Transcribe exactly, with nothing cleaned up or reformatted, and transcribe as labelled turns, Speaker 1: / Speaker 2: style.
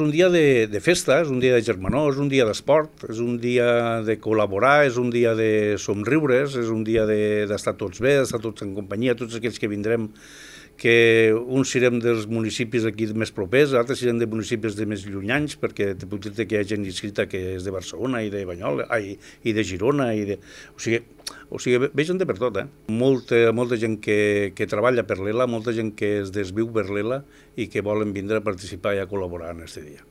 Speaker 1: és un dia de, de festa, és un dia de germanor, és un dia d'esport, és un dia de col·laborar, és un dia de somriures, és un dia d'estar tots bé, d'estar tots en companyia, tots aquells que vindrem, que uns serem dels municipis aquí més propers, altres serem de municipis de més llunyans, perquè te puc dir que hi ha gent inscrita que és de Barcelona i de Banyoles, ai, i de Girona, i de... o sigui, o sigui, ve gent de per tot, eh? Molta, molta gent que, que treballa per l'Ela, molta gent que es desviu per l'Ela i que volen vindre a participar i a col·laborar en aquest dia.